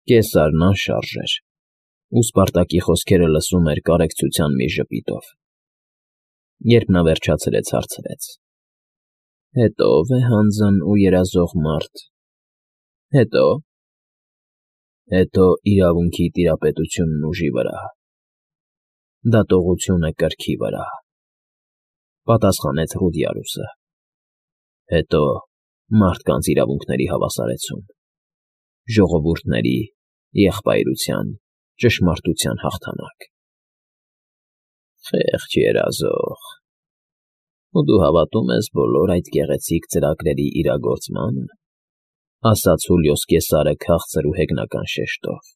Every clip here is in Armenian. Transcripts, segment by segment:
Կեսարն անշարժ էր, ու Սպարտակի խոսքերը լսում էր կարեկցության մի ժպիտով։ Երբ նա վերջացրեց, հարցրեց. «Հետո՞, ով է հանձն ու երազող մարդ»։ «Հետո՞։ Հետո իրավունքի տիրապետությունն ուժի վրա, դատողությունը կրքի վրա», պատասխանեց Ռուդիարուսը։ «Հետո մարդկանց իրավունքների հավասարեցում, ժողովուրդների, եղբայրության, ճշմարտության հաղթանակ»։ Խեղճ երազող, ու դու հավատում ես բոլոր այդ գեղեցիկ ծրագրերի իրագործմանը, ասաց Հուլիոս Կեսարը քաղցր ու հեգնական շեշտով։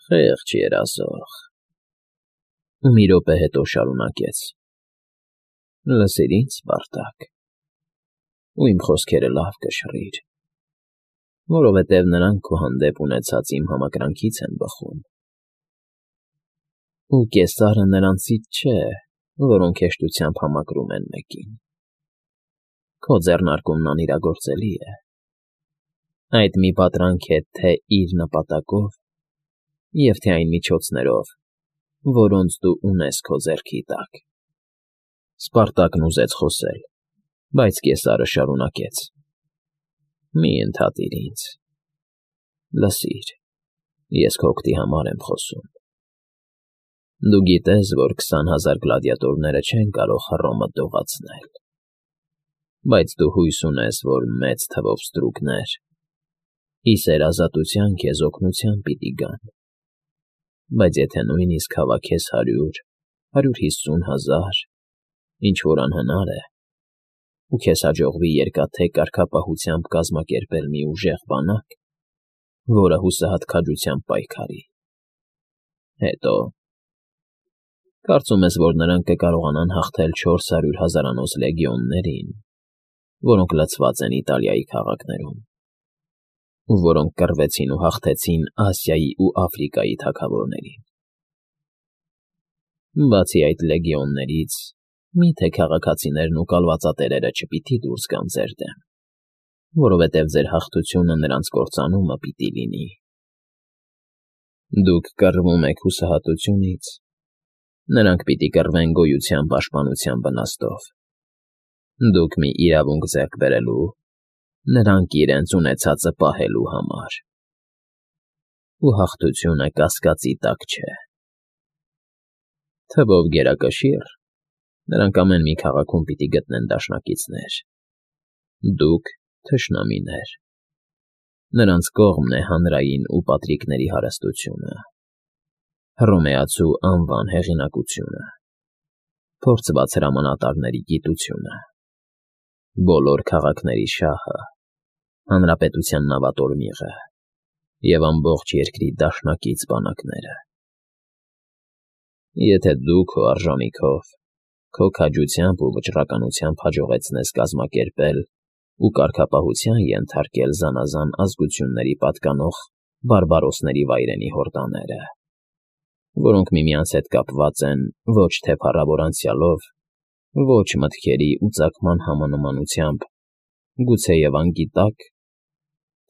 Խեղճ երազող։ Ու մի րոպե հետո շարունակեց. Լսիր ինձ, Սպարտակ, ու իմ խոսքերը լավ կշռիր, որովհետև նրանք քո հանդեպ ունեցած իմ համակրանքից են բխում։ Ու Կեսարը նրանցից չէ, որոնք հեշտությամբ համակրում են մեկին։ Քո ձեռնարկումն անիրագործելի է։ Այդ մի պատրանք է թե իր նպատակով, և թե այն միջոցներով, որոնց դու ունես քո ձեռքի տակ։ Սպարտակն ուզեց խոսել, բայց Կեսարը շարունակեց. Մի ընդհատիր ինձ։ Լսիր, ես քո օգտի համար եմ խոսում։ Դու գիտես, որ 20,000 գլադիատորները չեն կարող Հռոմը դողացնել, բայց դու հույս ունես, որ մեծ թվով ստրուկներ ի սերազատության քեզ օգնության պիտի գան, բայց եթե նույնիսկ հավաքես 100,000, 150,000, ինչ-որ անհնար է, ու քեզ հաջողվի երկաթե կարգապահությամբ կազմակերպել մի ուժեղ բանակ, որը հուսահատ քաջությամբ պայքարի, հետո… Կարծում ես, որ նրանք կկարողանան հաղթել 400,000-անոց լեգիոններին, որոնք լցված են Իտալիայի քաղաքներում, ու որոնք կռվեցին ու հաղթեցին Ասիայի ու Աֆրիկայի թագավորներին։ Բացի այդ լեգիոններից, մի՞թե քաղաքացիներն ու կալվածատերերը չպիտի դուրս գան ձեր դեմ, որովհետև ձեր հաղթությունը նրանց կործանումը պիտի լինի։ Դուք կռվում եք հուսահատությունից, նրանք պիտի կռվեն գոյության պաշտպանության վնաստով։ Դուք մի իրավունք ձեռք բերելու, նրանք իրենց ունեցածը պահելու համար։ Ու հաղթությունը կասկածի տակ չէ։ Թվով գերակշիռ, նրանք ամեն մի քաղաքում պիտի գտնեն դաշնակիցներ։ Դուք՝ թշնամիներ։ Նրանց կողմն է հանրային ու պատրիկների հարստությունը, հռոմեացու անվան հեղինակությունը, փորձված հրամանատարների գիտությունը, բոլոր քաղաքների շահը, հանրապետության նավատորմիղը և ամբողջ երկրի դաշնակից բանակները։ Եթե դու քո արժանիքով, քո քաջությամբ ու վճռականությամբ հաջողեցնես կազմակերպել ու կարգապահության ենթարկել զանազան ազգությունների պատկանող բարբարոսների վայրենի հորդաները, որոնք միմյանց հետ կապված են ոչ թե փառավոր անցյալով, ոչ մտքերի ու ծագման համանմանությամբ, գուցեև անգիտակ,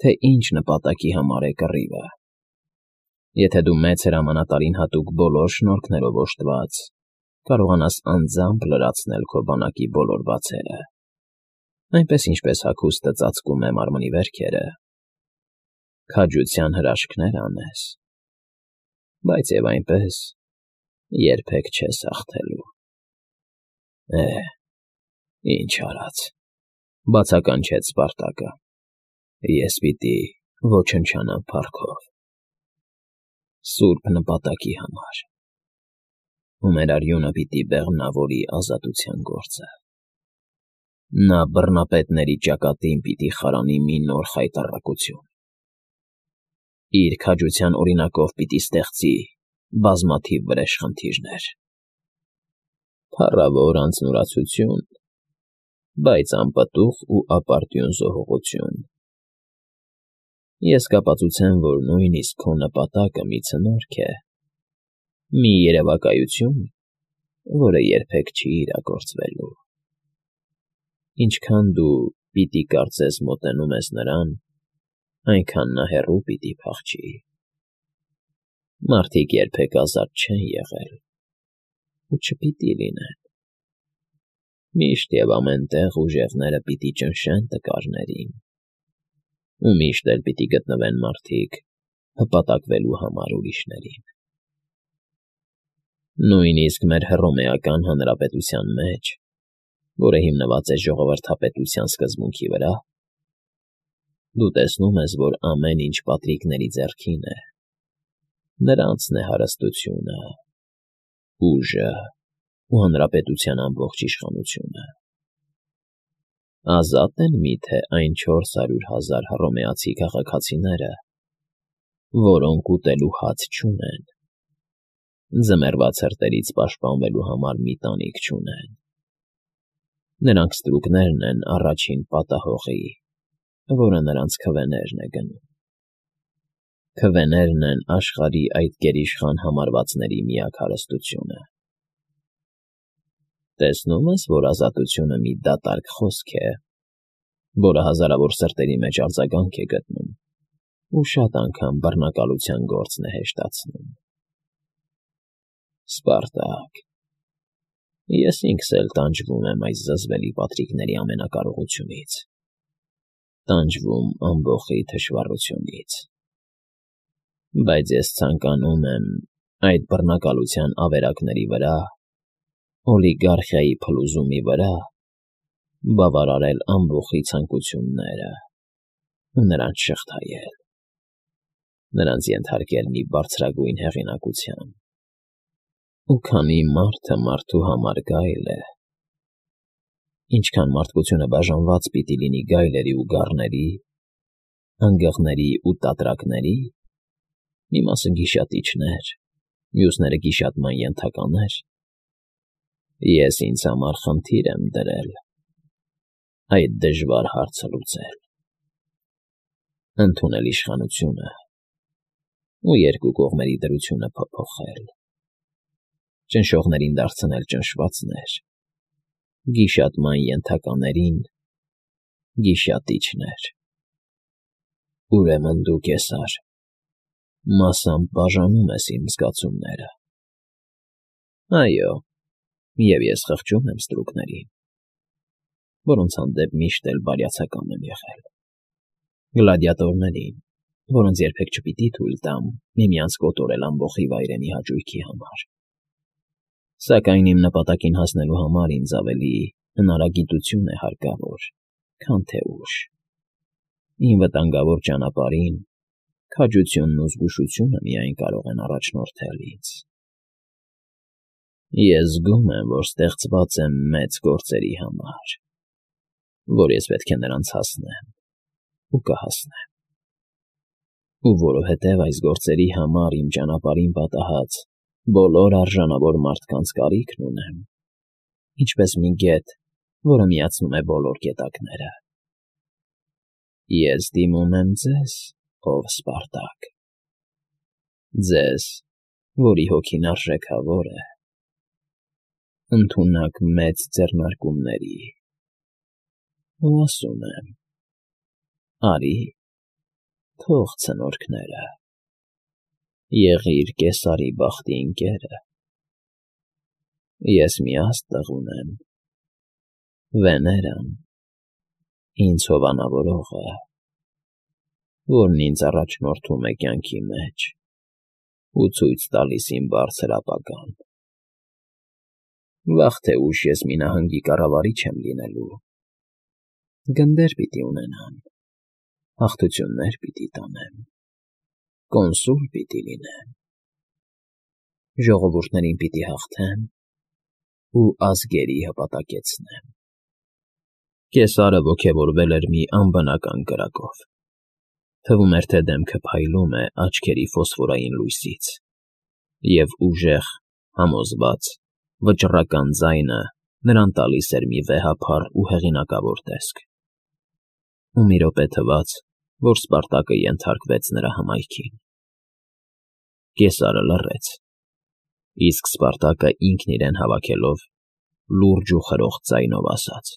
թե ինչ նպատակի համար է կռիվը, եթե դու մեծ հրամանատարին հատուկ բոլոր շնորհքներով օժտված կարողանաս անձամբ լրացնել քո բանակի բոլոր բացերը, այնպես ինչպես հագուստը ծածկում է մարմնի վերքերը, քաջության հրաշքներ անես, բայց և այնպես երբեք չես հաղթելու։ Ինչ արած, բացականչեց Սպարտակը, ես պիտի ոչնչանամ փառքով, սուրբ նպատակի համար, ու մեր արյունը պիտի բեղմնավորի ազատության գործը։ Նա բռնապետների ճակատին պիտի խարանի մի նոր խայտառակություն։ Իր քաջության օրինակով պիտի ստեղծի բազմաթիվ վրեժխնդիրներ։ Փառավոր անձնուրացություն, բայց անպտուղ ու ապարդյուն զոհողություն։ Ես կապացուցեմ, որ նույնիսկ քո նպատակը մի ցնորք է, մի երևակայություն, որը երբեք չի իրագործվելու։ Ինչքան դու պիտի կարծես մոտենում ես նրան, այնքան նա հեռու պիտի փախչի։ Մարդիկ երբեք ազատ չեն եղել ու չպիտի լինեն։ Միշտ և ամեն տեղ ուժեղները պիտի ճնշեն տկարներին, ու միշտ էլ պիտի գտնվեն մարդիկ հպատակվելու համար ուրիշներին։ Նույնիսկ մեր հռոմեական հանրապետության մեջ, որը հիմնված է ժողովրդապետության սկզբունքի վրա, դու տեսնում ես, որ ամեն ինչ պատրիկների ձեռքին է, նրանցն է հարստությունը, ուժը ու հանրապետության ամբողջ իշխանությունը։ Ազատ են միթե այն 400,000 հռոմեացի քաղաքացիները, որոնք ուտելու հաց չունեն, ձմեռվա ցրտերից պաշտպանվելու համար մի տանիք չունեն։ Նրանք ստրուկներն են առաջին պատահողի, որը նրանց քվեներն է գնում։ Քվեներն են աշխարհի այդ գերիշխան համարվածների միակ հարստությունը։ Տեսնում ես, որ ազատությունը մի դատարկ խոսք է, որը հազարավոր սրտերի մեջ արձագանք է գտնում ու շատ անգամ բռնակալության գործն է հեշտացնում։ Սպարտակ, ես ինքս էլ տանջվում եմ այս զզվելի պատրիկների ամենակարողությունից, տանջվում ամբոխի թշվառությունից, բայց ես ցանկանում եմ այդ բռնակալության ավերակների վրա, օլիգարխիայի փլուզումի վրա, բավարարել ամբոխի ցանկությունները ու նրանց շղթայել, նրանց ենթարկել մի բարձրագույն հեղինակության։ Ու քանի մարդը մարդու համար գայլ է, ինչքան մարդկությունը բաժանված պիտի լինի գայլերի ու գառների, անգղների ու տատրակների, մի մասը գիշատիչներ, մյուսները գիշատման ենթականեր, ես ինձ համար խնդիր եմ դրել այդ դժվար հարցը լուծել, ընդունել իշխանությունը ու երկու կողմերի դրությունը փոփոխել, ճնշողներին դարձնել ճնշվածներ, գիշատման ենթականերին գիշատիչներ։ Ուրեմն դու, Կեսար, մասամբ բաժանում ես իմ զգացումները։ Այո, և ես խղճում եմ ստրուկներին, որոնց հանդեպ միշտ էլ բարյացակամ եմ եղել, գլադիատորներին, որոնց երբեք չպիտի թույլ տամ միմյանց կոտորել ամբոխի վայրենի հաճույքի համար։ Սակայն իմ նպատակին հասնելու համար ինձ ավելի հնարագիտություն է հարկավոր, քան թե ուժ։ Իմ վտանգավոր ճանապարհին քաջությունն ու զգուշությունը միայն կարող են առաջնորդել ինձ։ Ես զգում եմ, որ ստեղծված եմ մեծ գործերի համար, որ ես պետք է նրանց հասնեմ ու կհասնեմ։ Ու որովհետև այս գործերի համար իմ ճանապարհին պատահած բոլոր արժանավոր մարդկանց կարիքն ունեմ, ինչպես մի գետ, որը միացնում է բոլոր գետակները։ Ես դիմում եմ ձեզ, ով Սպարտակ, ձեզ, որի հոգին արժեքավոր է, ընդունակ մեծ ձեռնարկումների, ու ասում եմ. արի, թող ցնորքները, եղիր Կեսարի բախտի ընկերը։ Ես մի աստղ ունեմ, Վեներան, ինձ հովանավորողը, որն ինձ առաջնորդում է կյանքի մեջ ու ցույց տալիս իմ բարձր ապագան։ Վաղ թե ուշ ես մի նահանգի կառավարիչ եմ լինելու, գնդեր պիտի ունենամ, հաղթություններ պիտի տանեմ, կոնսուլ պիտի լինեմ, ժողովուրդներին պիտի հաղթեմ ու ազգերի հպատակեցնեմ։ Կեսարը ոգևորվել էր մի անբնական կրակով, թվում էր, թե դեմքը փայլում է աչքերի ֆոսֆորային լույսից, և ուժեղ, համոզված, վճռական ձայնը նրան տալիս էր մի վեհափառ ու հեղինակավոր տեսք։ Ու մի րոպե թվաց, որ Սպարտակը ենթարկվեց նրա հմայքին։ Կեսարը լռեց, իսկ Սպարտակը ինքն իրեն հավաքելով լուրջ ու խրոխտ ձայնով ասաց.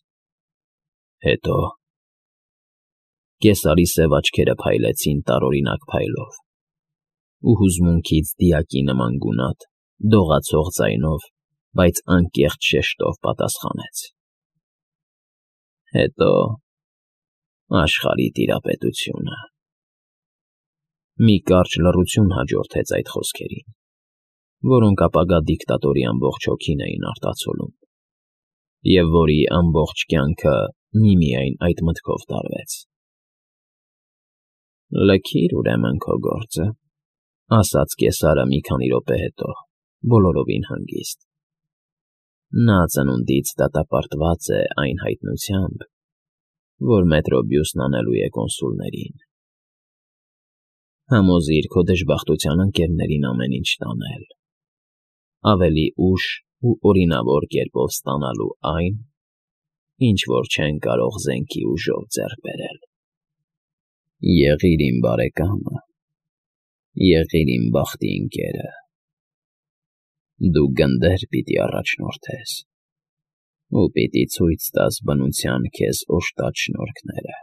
հետո Կեսարի սև աչքերը փայլեցին տարօրինակ փայլով, ու հուզմունքից դիակի նման գունատ, դողացող ձայնով, բայց անկեղծ շեշտով պատասխանեց. Հետո աշխարհի տիրապետությունը։ Մի կարճ լռություն հաջորդեց այդ խոսքերին, որոնք ապագա դիկտատորի ամբողջ հոգին էին արտացոլում, և որի ամբողջ կյանքը միմիայն այդ մտքով տարվեց։ Լքիր ուրեմն քո գործը, ասաց Կեսարը մի քանի րոպե հետո, բոլորովին հանգիստ։ Նա ծնունդից դատապարտված է այն հայտնությամբ, որ Մետրոբիուսն անելու է կոնսուլներին։ Համոզիր քո դժբախտության ընկերներին ամեն ինչ տանել, ավելի ուշ ու օրինավոր կերպով ստանալու այն, ինչ որ չեն կարող զենքի ուժով ձեռք բերել։ Եղիր իմ բարեկամը, եղիր իմ բախտի ընկերը։ Դու գնդեր պիտի առաջնորդես, ու պիտի ցույց տաս բնության քեզ օժտած շնորհքները։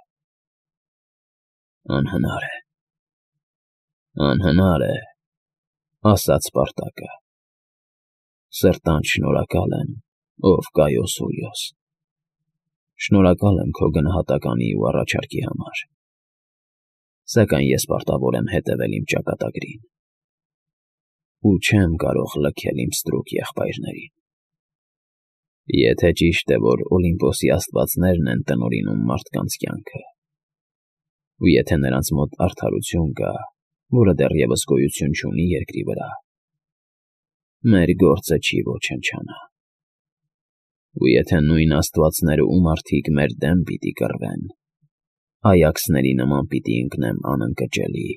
Անհնար է, ասաց Սպարտակը։ Սրտանց շնորհակալ եմ, ով Կայոս Ուլիոս։ Շնորհակալ եմ քո գնահատականի ու առաջարկի համար, սակայն ես պարտավոր եմ հետևել իմ ճակատագրին ու չեմ կարող լքել իմ ստրուկ եղբայրներին։ Եթե ճիշտ է, որ Օլիմպոսի աստվածներն են տնօրինում մարդկանց կյանքը, ու եթե նրանց մոտ արդարություն կա, որը դեռևս գոյություն չունի երկրի վրա, մեր գործը չի ոչնչանա։ Ու եթե նույն աստվածները ու մարդիկ մեր դեմ պիտի կռվեն, այաքսների նման պիտի ընկնեմ անընկճելի,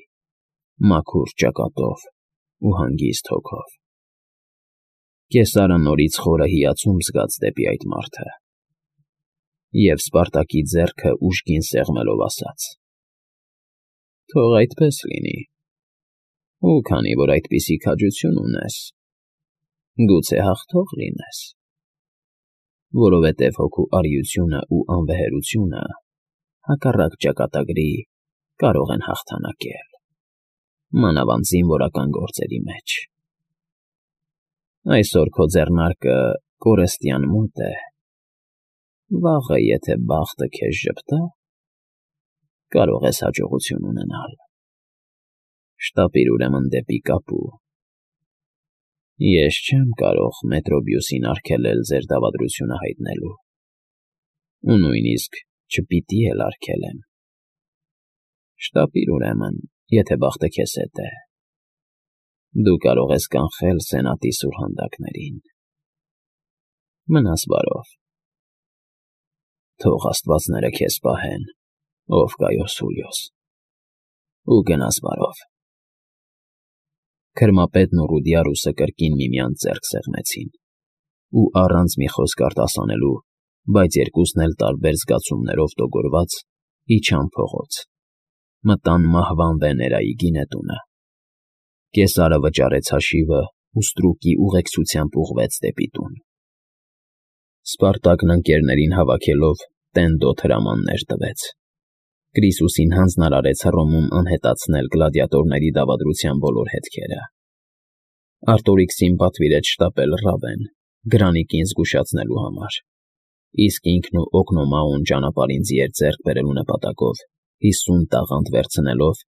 մաքուր ճակատով ու հանգիստ հոգով։ Կեսարը նորից խորը հիացում զգաց դեպի այդ մարդը, և Սպարտակի ձեռքը ուժգին սեղմելով ասաց. Թող այդպես լինի, ու քանի որ այդպիսի քաջություն ունես, գուցե հաղթող լինես, որովհետև հոգու արիությունն ու անվեհերությունը հակառակ ճակատագրի կարող են հաղթանակել, մանավանդ զինվորական գործերի մեջ։ Այսօր քո ձեռնարկը կորստյան մոտ է, վաղը, եթե բախտը քեզ ժպտա, կարող ես հաջողություն ունենալ։ Շտապիր ուրեմն դեպի Կապու։ Ես չեմ կարող Մետրոբիուսին արգելել ձեր դավադրությունը հայտնելու, ու նույնիսկ չպիտի էլ արգելեմ։ Շտապիր ուրեմն, եթե բախտը քեզ հետ է։ Դու կարող ես կանխել Սենատի սուրհանդակներին։ Մնաս բարով։ Թող աստվածները քեզ պահեն, ով Կայոս Ուլիոս, ու գնաս բարով։ Քրմապետն ու Ռուդիարուսը կրկին միմյանց ձեռք սեղմեցին, ու առանց մի խոսք արտասանելու, բայց երկուսն էլ տարբեր զգացումներով տոգորված, իջան փողոց, մտան մահվան Վեներայի գինետունը։ Կեսարը վճարեց հաշիվը ու ստրուկի ուղեկցությամբ ուղղվեց դեպի տուն։ Սպարտակն ընկերներին հավաքելով տենդոտ հրամաններ տվեց։ Կրիսուսին հանձնարարեց Հռոմում անհետացնել գլադիատորների դավադրության բոլոր հետքերը։ Արտորիքսին պատվիրեց շտապել Ռավեն, Գրանիկին զգուշացնելու համար, իսկ ինքն ու Օգնոմաուն ճանապարհին ձիեր ձեռք բերելու նպատակով 50 տաղանդ վերցնելով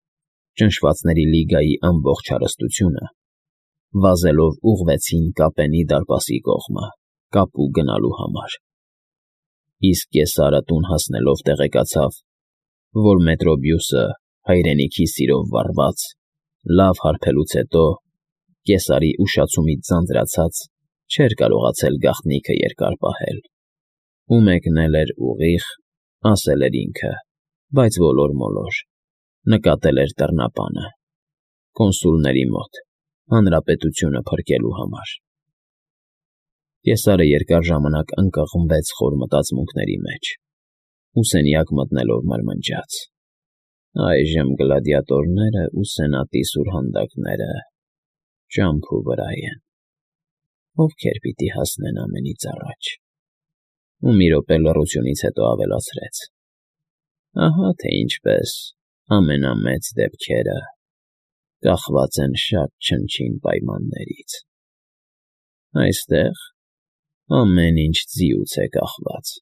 ճնշվածների լիգայի ամբողջ հարստությունը, վազելով ուղղվեցին Կապենի դարպասի կողմը, Կապու գնալու համար։ Իսկ Կեսարը տուն հասնելով տեղեկացավ, որ Մետրոբիուսը հայրենիքի սիրով վառված, լավ հարբելուց հետո, Կեսարի ուշացումից ձանձրացած, չէր կարողացել գաղտնիքը երկար պահել, ու մեկնել էր ուղիղ, ասել էր ինքը, բայց ոլոր-մոլոր, նկատել էր դռնապանը, կոնսուլների մոտ, հանրապետությունը փրկելու համար։ Կեսարը երկար ժամանակ ընկղմվեց խոր մտածմունքների մեջ, ու սենյակ մտնելով մրմնջաց. այժմ գլադիատորները ու Սենատի սուրհանդակները ճամփու վրա են, ովքեր պիտի հասնեն ամենից առաջ։ Ու մի րոպե լռությունից հետո ավելացրեց. Ահա թե ինչպես ամենամեծ դեպքերը կախված են շատ չնչին պայմաններից։ Այստեղ ամեն ինչ ձիուց է կախված։